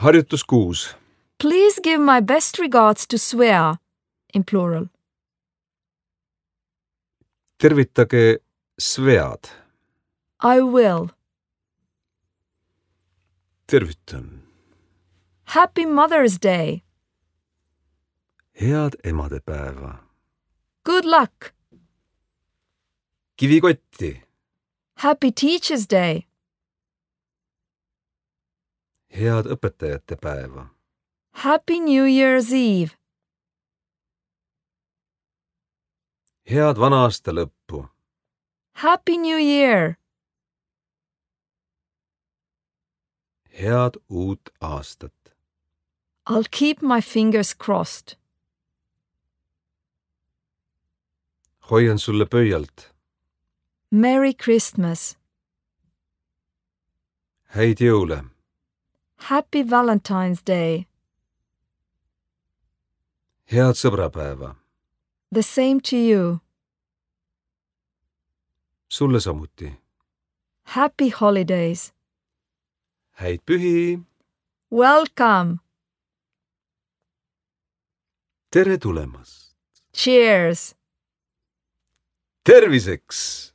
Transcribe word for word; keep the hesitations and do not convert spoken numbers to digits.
Harjutus kuus. Please give my best regards to Svea, in plural. Tervitage Svead. I will. Tervitan. Happy Mother's Day. Head emadepäeva. Good luck. Kivikotti. Happy Teacher's Day. Head õpetajate päeva. Happy New Year's Eve. Head vana-aasta lõppu. Happy New Year. Head uut aastat. I'll keep my fingers crossed. Hoian sulle pöialt. Merry Christmas. Häid jõule. Happy Valentine's Day. Head sõbrapäeva. The same to you. Sulle samuti. Happy holidays. Häid pühi. Welcome. Tere tulemast. Cheers. Terviseks!